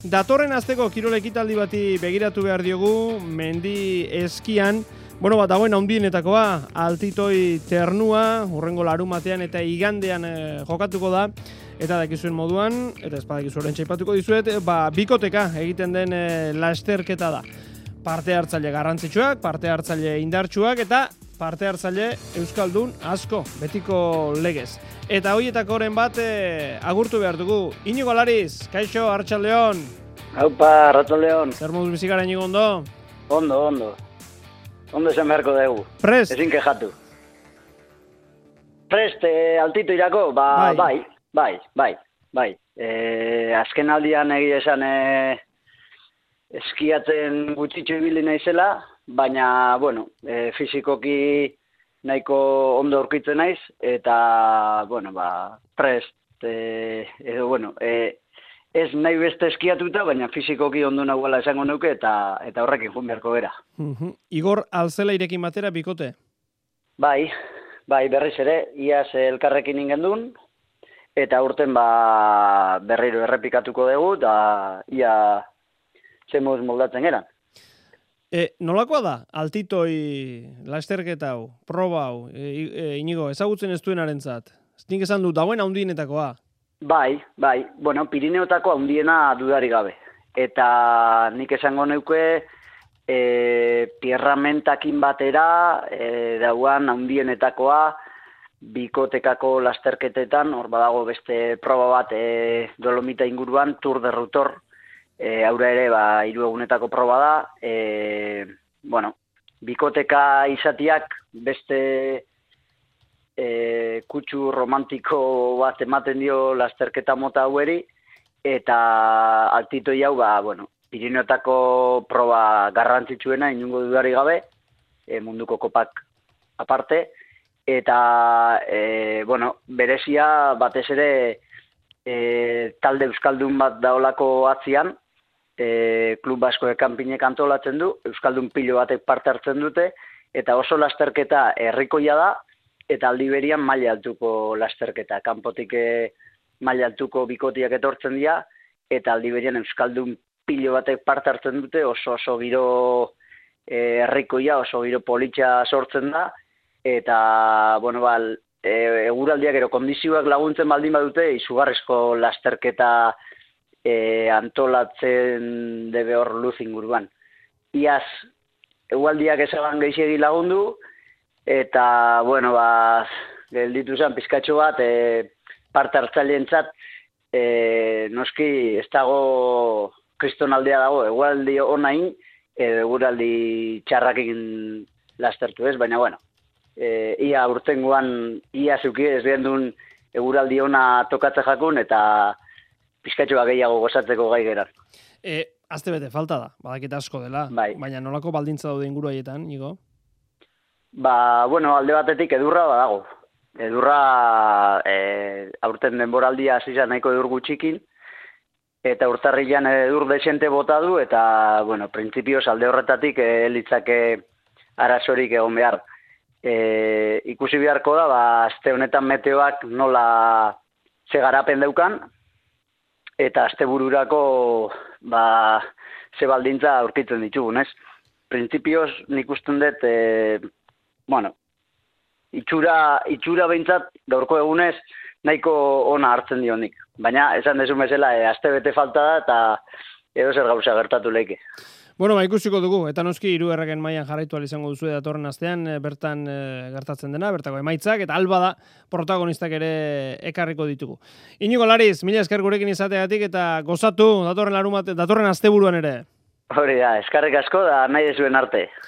Datorren asteko kirol ekitaldi bati begiratu behar diogu, mendi eskian, dagoen handienetakoa, altitoi ternua, hurrengo larumatean eta igandean jokatuko da, eta dakizuen moduan, eta ez badakizu oraintxe aipatuko dizuet, bikoteka egiten den lasterketa da. Parte hartzaile garrantzitsuak, parte hartzaile indartsuak, eta parte hartzaile euskaldun asko, betiko legez. Eta hoietakoren bat agurtu behar dugu. Iñigo Lariz, kaixo, Arratsaldeon. Haupa, Arratsaldeon. Zer moduz bizi gara, Iñigo, ondo? Ondo. Ondo esan beharko dugu. Prest? Ezin kejatu. Prest, altito irako? Bai. Azken aldian egia esan eskiatzen gutxitxo ibili naizela, baina, fizikoki nahiko ondo aurkitzen naiz, eta, prest, ez nahi beste eskiatuta, baina fizikoki ondo nagoela esango nuke, eta horrekin joan beharko gera. Igor Alzelairekin batera bikote? Bai, berriz ere, iaz elkarrekin ingendun, eta urten berriro errepikatuko dugu, eta ia zemuz moldatzen geran. Nolakoa da, altitoi lasterketa hau, proba hau, Iñigo, ezagutzen ez duenarentzat? Nik esan du, dagoen handienetakoa. Bai, Pirineotako handiena dudari gabe. Eta nik esango neuke, pierramentakin batera, dauan handienetakoa, bikotekako lasterketetan, hor badago beste proba bat Dolomita inguruan, Tour de Rutor, aurra ere, 3 egunetako proba da. Bikoteka izatiak beste kutsu romantiko bat ematen dio lasterketa mota haueri, eta altitoi hau, Pirineotako proba garrantzitsuena, inungo dudari gabe, munduko kopak aparte, eta, berezia batez ere talde euskaldun bat daolako atzian, klub basko kanpinek antolatzen du, euskaldun pilo batek parte hartzen dute, eta oso lasterketa herrikoia da, eta aldi berian maila altuko lasterketa. Kanpotik maila altuko bikotiak etortzen dira, eta aldi berian euskaldun pilo batek parte hartzen dute, oso giro herrikoia, oso giro politxa sortzen da, eta, eguraldiak ero kondizioak laguntzen baldin badute, izugarrizko lasterketa antolatzen debe hor luz inguruan. Iaz, eguraldiak ezaban gehiagi lagundu, eta, gelditu zen pizkatxo bat, parte hartzaileentzat, noski ez dago kristonaldea dago, eguraldi onain, eguraldi txarrakin lastertu ez, baina, ia urtengoan, ia zuki ez gendun eguraldi ona tokatze jakun, eta pizkatxoa gehiago gozatzeko gai geran. Azte bete falta da, badakita asko dela, baina nolako baldintza daude inguru haietan, Igo? Alde batetik edurra badago. Edurra aurten denboraldia hasi nahiko edur gutxikin, eta urtarrilan edur desente bota du, eta, printzipioz alde horretatik litzake arazorik egon behar. Ikusi beharko da, aste honetan meteoak nola ze garapen daukan, eta astebururako ze baldintza aurkitzen ditugun, ez? Printzipioz nik usten dut, itxura behintzat gaurko egunez nahiko ona hartzen dionik. Baina, esan dezu bezala, aste bete falta da, eta edo zer gauza gertatu leike. Ikusiko dugu, eta noski 3 erregen mailan jarraitu izango duzu datorren astean, bertan gertatzen dena, bertako emaitzak, eta alba da protagonistak ere ekarriko ditugu. Iñigo Lariz, mila esker gurekin izateagatik, eta gozatu datorren asteburuan ere. Hori da, eskerrik asko da nahi dezuen arte.